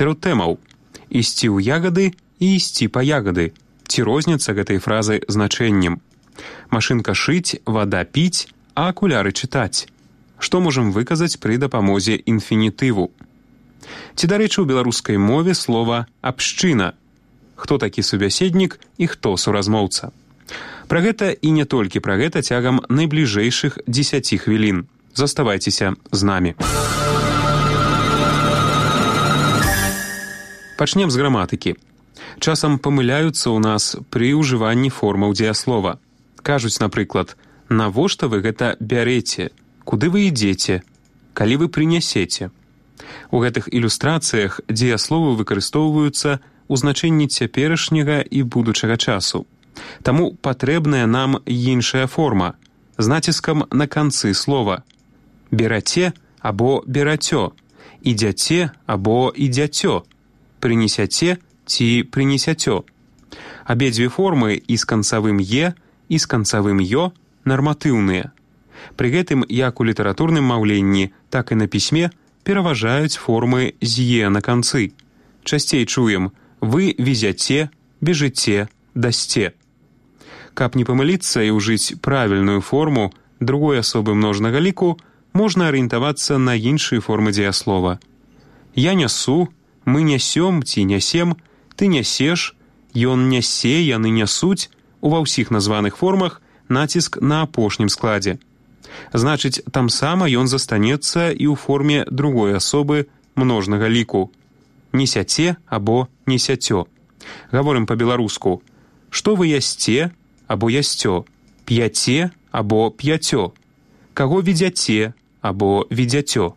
Сярод тэмаў «ісці ў ягады» і «ісці па ягады». Ці розніца гэтай фразы значэннем. Машынка шыць, вада піць, а акуляры чытаць. Што можам выказаць пры дапамозе інфінітыву? Ці, дарэчы, у беларускай мове слова «абшчына». Хто такі субяседнік і хто суразмоўца? Пра гэта і не толькі пра гэта цягам найбліжэйшых 10 хвілін. Заставайцеся з намі. Пачнем з граматыкі. Часам памыляюцца ў нас пры ўжыванні формаў дзеяслова. Кажуць, напрыклад, навошта вы гэта бярэце, куды вы ідзеце, калі вы прынясеце. У гэтых ілюстрацыях дзеясловы выкарыстоўваюцца ў значэнні цяперашняга і будучага часу. Таму патрэбная нам іншая форма з націскам на канцы слова. Бераце або берацё, ідзяце або ідзяцё, прынесяце ці прынесяцё. Абедзве формы і з канцавым «е», і з канцавым «ё» нарматыўныя. Пры гэтым як у літаратурным маўленні, так і на пісьме пераважаюць формы з «е» на канцы. Часцей чуем «вы везяце», «бежыце», «дасце». Каб не памыліцца і ўжыць правільную форму другой асобы множнага ліку, можна арыентавацца на іншыя формы дзеяслова. Я нясу, мы нясём ці нясем, ты нясеш, ён нясе, яны нясуць. Ува ўсіх названых формах націск на апошнім складзе. Значыць, там сама ён застанецца і ў форме другой асобы множнага ліку. Несяце або несяцё. Гаворым па-беларуску. Што вы ясце або ясцё, п'яце або п'яцё, каго ведзяце або ведзяцё,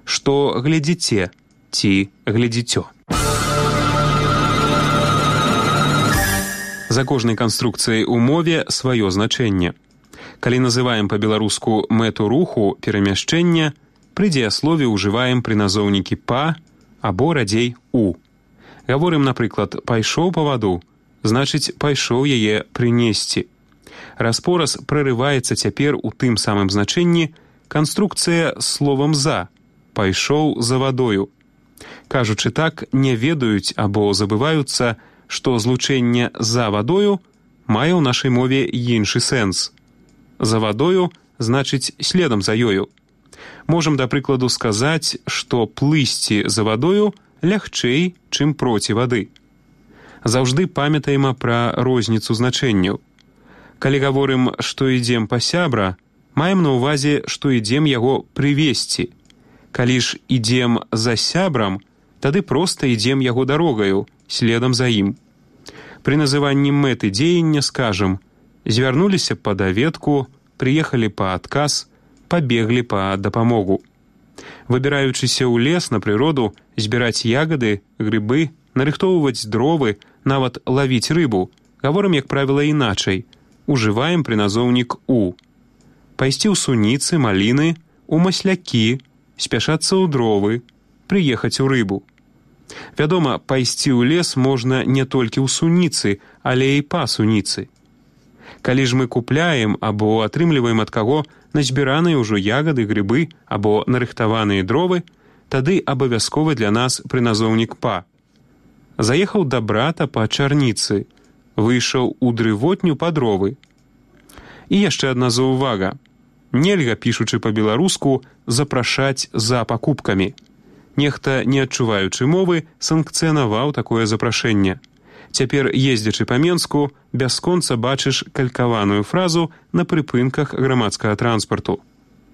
што глядзіце ці глядзіцё. За кожнай канструкцыяй у мове сваё значэнне. Калі называем па-беларуску мэту руху перамяшчэння, пры дзеяслове ўжываем прыназоўнікі «па» або радзей «у». Гаворым, напрыклад, «пайшоў па ваду», значыць, пайшоў яе прынесці. Распораз прарываецца цяпер у тым самым значэнні канструкцыя з словам «за», «пайшоў за вадою». Кажучы так, не ведаюць або забываюцца, што злучэнне «за вадою» мае ў нашай мове іншы сэнс. За вадою значыць следам за ёю. Можам, да прыкладу, сказаць, што плысці за вадою лягчэй, чым проці вады. Заўжды памятаем пра розніцу значэнняў. Калі гаворым, што ідзем па сябра, маем на ўвазе, што ідзем яго прывесці. Калі ж ідзем за сябрам, тады проста ідзем яго дарогаю, следам за ім. Пры называнні мэты дзеяння скажам «звярнуліся па даведку», «прыехалі па адказ», «пабеглі па дапамогу». Выбіраючыся ў лес на прыроду, збіраць ягады, грыбы, нарыхтоўваць дровы, нават лавіць рыбу, гаворым, як правіла, іначай. Ужываем прыназоўнік «у». Пайсці ў суніцы, маліны, у маслякі, спяшацца ў дровы, прыехаць у рыбу. Вядома, пайсці ў лес можна не толькі ў суніцы, але і па суніцы. Калі ж мы купляем або атрымліваем ад каго назбіраныя ўжо ягады, грыбы або нарыхтаваныя дровы, тады абавязковы для нас прыназоўнік «па». Заехаў да брата па чарніцы, выйшаў у дрывотню па дровы. І яшчэ адна заўвага. Нельга, пішучы па-беларуску, запрашаць за пакупкамі. Нехта, не адчуваючы мовы, санкцыянаваў такое запрашэнне. Цяпер, ездзячы па Менску, бясконца бачыш калькаваную фразу на прыпынках грамадскага транспарту.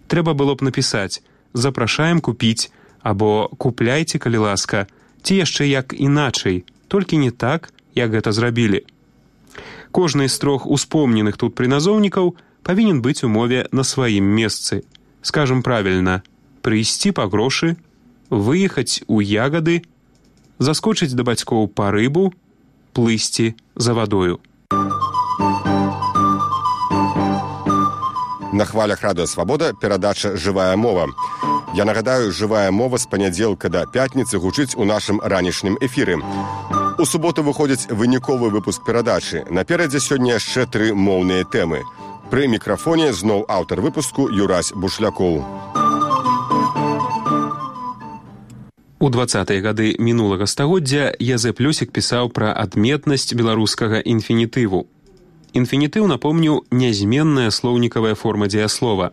Трэба было б напісаць «запрашаем купіць» або «купляйце, калі ласка», ці яшчэ як іначай, толькі не так, як гэта зрабілі. Кожны з трох успомненых тут прыназоўнікаў павінен быць у мове на сваім месцы. Скажам правільна, прыйсці па грошы, выехаць у ягады, заскочыць да бацькоў па рыбу, плысці за вадою. На хвалях Радыё Свабода перадача «Жывая мова». Я нагадаю, «Жывая мова» з панядзелка да пятніцы гучыць у нашым ранішнім эфіры. У суботу выходзіць выніковы выпуск перадачы. Наперадзе сёння яшчэ 3 моўныя тэмы. Пры мікрафоне зноў аўтар выпуску Юрась Бушлякоў. У 20-е гады мінулага стагоддзя Язэп Лёсік пісаў пра адметнасць беларускага інфінітыву. Інфінітыў, напомню, нязменная слоўнікавая форма дзеяслова.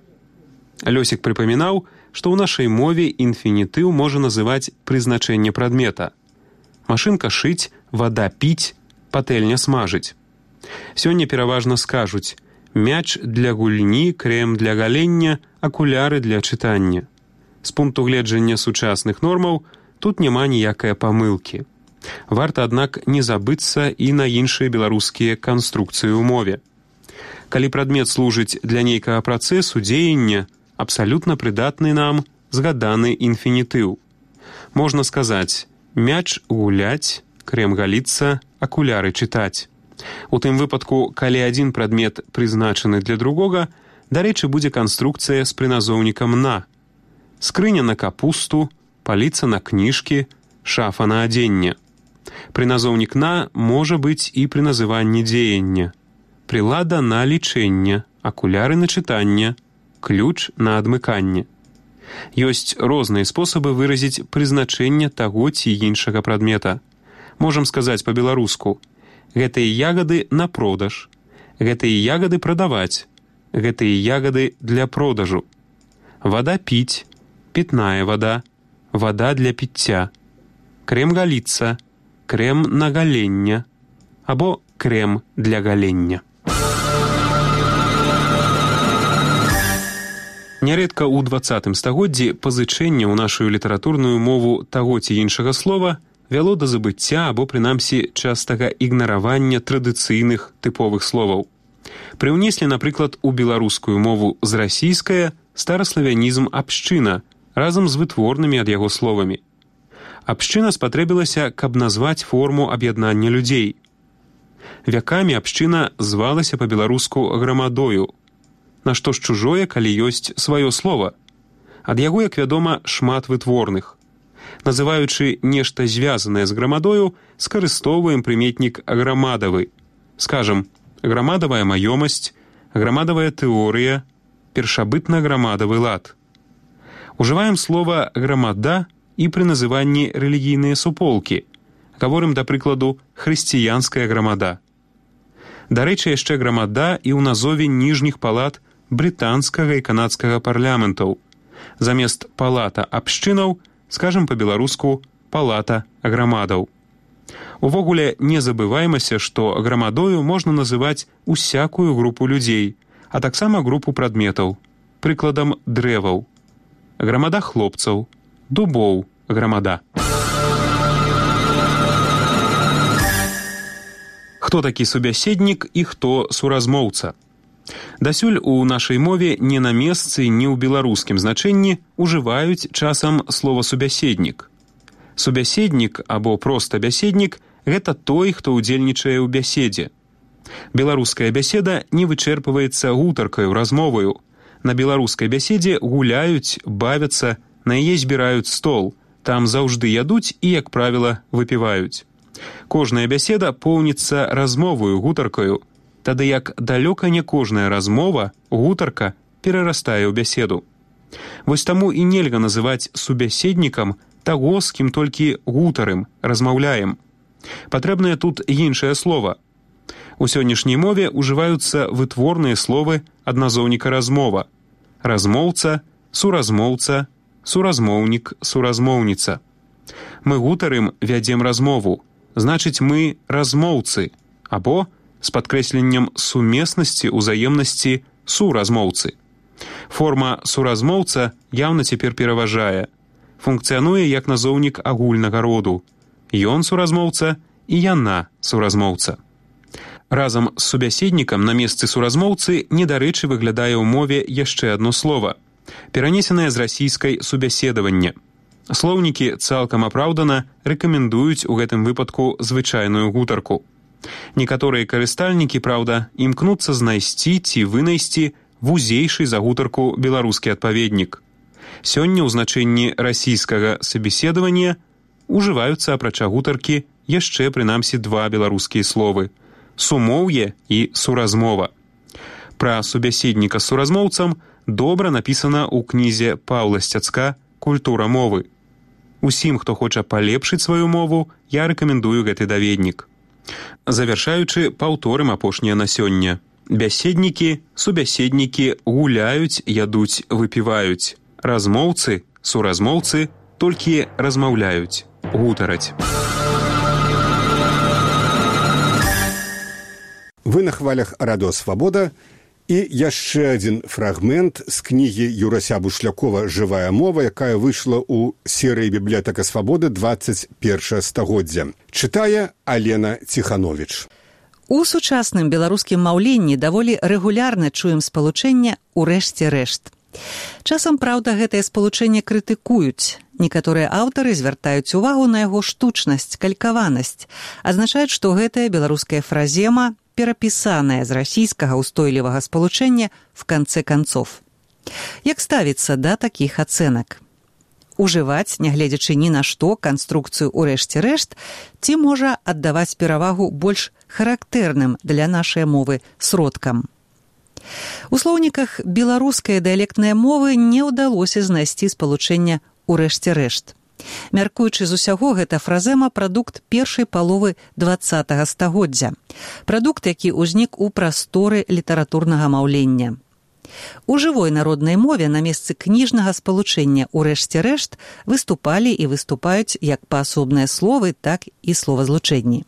Лёсік прыпамінаў, што ў нашай мове інфінітыў можа называць прызначэнне прадмета. Машынка шыць, вада піць, патэльня смажыць. Сёння пераважна скажуць: мяч для гульні, крэм для галення, акуляры для чытання. З пункту гледжання сучасных нормаў тут няма ніякай памылкі. Варта, аднак, не забыцца і на іншыя беларускія канструкцыі ў мове. Калі прадмет служыць для нейкага працэсу, дзеяння, абсалютна прыдатны нам згаданы інфінітыў. Можна сказаць: мяч гуляць, крэм галіцца, акуляры чытаць. У тым выпадку, калі адзін прадмет прызначаны для другога, дарэчы, будзе канструкцыя з прыназоўнікам «на». Скрыня на капусту, паліца на кніжкі, шафа на адзенне. Прыназоўнік «на» можа быць і пры называнні дзеяння. Прылада на лічэнне, акуляры на чытанне, ключ на адмыканне. Ёсць розныя спосабы выразіць прызначэнне таго ці іншага прадмета. Можам сказаць па-беларуску: гэтыя ягады на продаж, гэтыя ягады прадаваць, гэтыя ягады для продажу. Вада піць, пітная вада, вада для піцця. Крэм галіцца, крэм на галення, або крэм для галення. Нярэдка ў 20 стагоддзі пазычэнне ў нашу літаратурную мову таго ці іншага слова вяло да забыцця або, прынамсі, частага ігнаравання традыцыйных тыповых словаў. Прыўнеслі, напрыклад, у беларускую мову з расійскае стараславянізм «абшчына» разам з вытворнымі ад яго словамі. Абшчына спатрэбілася, каб назваць форму аб'яднання людзей. Вякамі абшчына звалася па-беларуску грамадою. Нашто ж чужое, калі ёсць сваё слова? Ад яго, як вядома, шмат вытворных. Называючы нешта звязанае з грамадою, скарыстоўваем прыметнік грамадавы. Скажам, грамадавая маёмасць, грамадавая тэорыя, першабытна-грамадавы лад. Ужываем слова «грамада» і пры называнні рэлігійныя суполкі. Гаворым, да прыкладу, хрысціянская грамада. Дарэчы, яшчэ грамада і ў назове ніжніх палат брытанскага і канадскага парламентаў. Замест палата абшчынаў скажам па-беларуску палата грамадаў. Увогуле, не забываймася, што грамадою можна называць усякую групу людзей, а таксама групу прадметаў. Прыкладам, дрэваў. Грамада хлопцаў, дубоў, грамада. Хто такі субяседнік і хто суразмоўца? Дасюль у нашай мове не на месцы, ні ў беларускім значэнні ужываюць часам слова «субяседнік». Субяседнік або проста бяседнік – гэта той, хто ўдзельнічае ў бяседзе. Беларуская бяседа не вычэрпваецца гутаркаю, размоваю. На беларускай бяседзе гуляюць, бавяцца, на яе збіраюць стол. Там заўжды ядуць і, як правіла, выпіваюць. Кожная бяседа поўніцца размоваю, гутаркаю. Тады як далёка не кожная размова, гутарка, перарастае ў бяседу. Вось таму і нельга называць субяседнікам таго, з кім толькі гутарым, размаўляем. Патрэбнае тут іншае слова. У сённяшняй мове ўжываюцца вытворныя словы адназоўніка размова. Размоўца, суразмоўца, суразмоўнік, суразмоўніца. Мы гутарым, вядзем размову. Значыць, мы размоўцы, або з падкрэсленнем сумеснасці, узаемнасці суразмоўцы. Форма суразмоўца яўна цяпер пераважае. Функцыянуе як назоўнік агульнага роду. Ён суразмоўца і яна суразмоўца. Разам з субяседнікам на месцы суразмоўцы недарэчы выглядае ў мове яшчэ адно слова, перанесенае з расійскай субяседавання. Слоўнікі цалкам апраўдана рэкамендуюць у гэтым выпадку звычайную гутарку. Некаторыя карыстальнікі, праўда, імкнуцца знайсці ці вынайсці вузейшы за гутарку беларускі адпаведнік. Сёння ў значэнні расійскага сабеседавання ужываюцца, апрача гутаркі, яшчэ прынамсі два беларускія словы – сумоўе і суразмова. Пра субяседніка з суразмоўцам добра напісана ў кнізе Паўла Сцяцка «Культура мовы». Усім, хто хоча палепшыць сваю мову, я рэкамендую гэты даведнік. Завяршаючы, паўторым апошняе на сёння. Бяседнікі, субяседнікі гуляюць, ядуць, выпіваюць. Размоўцы, суразмоўцы толькі размаўляюць, гутараць. Вы на хвалях Радыё Свабода. І яшчэ адзін фрагмент з кнігі Юрася Бушлякова «Жывая мова», якая выйшла ў серыі «Бібліятэка Свабоды» 21 стагоддзя. Чытае Алена Ціхановіч. У сучасным беларускім маўленні даволі рэгулярна чуем спалучэнне «урэшце рэшт». Часам, праўда, гэтае спалучэнне крытыкуюць. Некаторыя аўтары звяртаюць увагу на яго штучнасць, калькаванасць. Азначаюць, што гэтая беларуская фразема перапісаная з расійскага ўстойлівага спалучэння в канцэ канцоў. Як ставіцца да такіх ацэнак? Ужываць, нягледзячы ні на што, канструкцыю «урэшце рэшт» ці можа аддаваць перавагу больш характэрным для нашай мовы сродкам? У слоўніках беларускай дыялектнай мовы не ўдалося знайсці спалучэння «урэшце рэшт». Мяркуючы з усяго, гэта фразема прадукт першай паловы 20-го стагоддзя. Прадукт, які ўзнік у прасторы літаратурнага маўлення. У жывой народнай мове на месцы кніжнага спалучэння «урэшце рэшт» выступалі і выступаюць як паасобныя словы, так і словазлучэнні.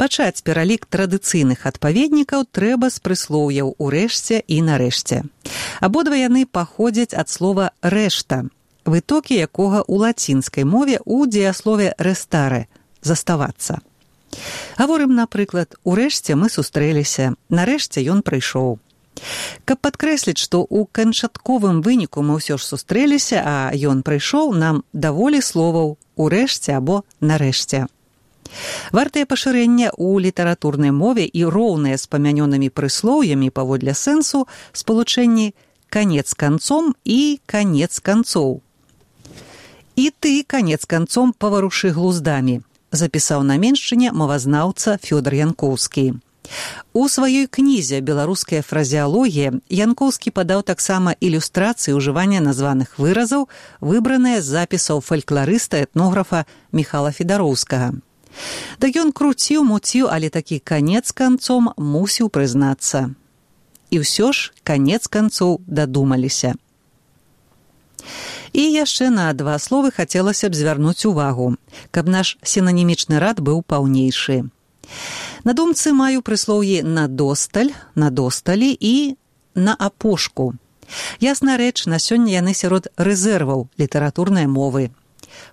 Пачаць пералік традыцыйных адпаведнікаў трэба з прыслоўяў «урэшце» і «нарэшце». Абодва яны паходзяць ад слова «рэшта», вытокі якога ў лацінскай мове ў дзеяслове «рестаре» – «заставацца». Гаворым, напрыклад, «урэшце мы сустрэліся», «нарэшце ён прыйшоў». Каб падкрэсліць, што ў канчатковым выніку мы ўсё ж сустрэліся, а ён прыйшоў, нам даволі словаў «урэшце» або «нарэшце». Вартае пашырэння ў літаратурнай мове і роўныя з памянёнымі прыслоўямі паводле сэнсу спалучэнні «канец канцом» і «канец канцоў». «І ты, канец канцом, паварушы глуздамі», запісаў на меншчыне мовазнаўца Фёдор Янкоўскі. У сваёй кнізе «Беларуская фразеалогія» Янкоўскі падаў таксама ілюстрацыі ўжывання названых выразаў, выбраныя з запісаў фалькларыста-этнографа Міхала Федароўскага. Так ён круціў-муціў, але такі канец канцом мусіў прызнацца. І ўсё ж канец канцоў дадумаліся. І яшчэ на два словы хацелася б звярнуць увагу, каб наш сінанімічны рад быў паўнейшы. На думцы маю прыслоўі «надосталь», «надосталі» і «на апошку». Ясна рэч, на сёння яны сярод рэзерваў літаратурнай мовы.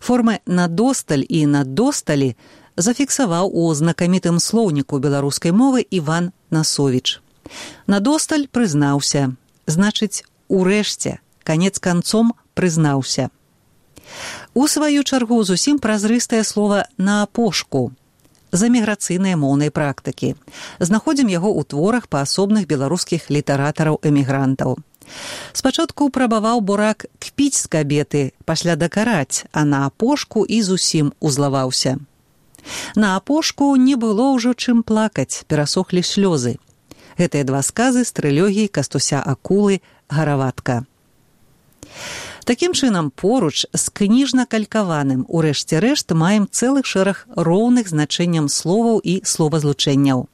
Формы «надосталь» і «надосталі» зафіксаваў у знакамітым слоўніку беларускай мовы Іван Насовіч. «Надосталь» прызнаўся, значыць, урэшце, канец канцом прызнаўся. У сваю чаргу зусім празрыстае слова «на апошку» з эміграцыйнай моўнай практыкі. Знаходзім яго ў творах паасобных беларускіх літаратараў-эмігрантаў. Спачатку прабаваў бурак кпіць з кабеты, пасля дакараць, а на апошку і зусім узлаваўся. На апошку не было ўжо чым плакаць, перасохлі слёзы. Гэтыя два сказы з трылогіі Кастуся Акулы «Гараватка». Такім чынам, поруч з кніжна-калькаваным «урэшце рэшт» маем цэлых шэраг роўных значэнням словаў і словазлучэнняў.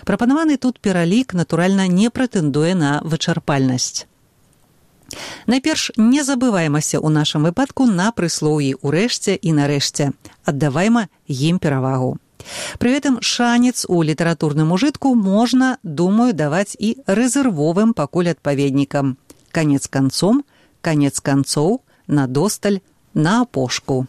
Прапанаваны тут пералік, натуральна, не прэтэндуе на вычарпальнасць. Найперш, не забываймася ў нашым выпадку на прыслоўі «урэшце» і «нарэшце». Аддавайма ім перавагу. Пры гэтым шанец у літаратурным ужытку можна, думаю, даваць і рэзервовым пакуль адпаведнікам. Канец канцом, канец канцоў, надосталь, на апошку.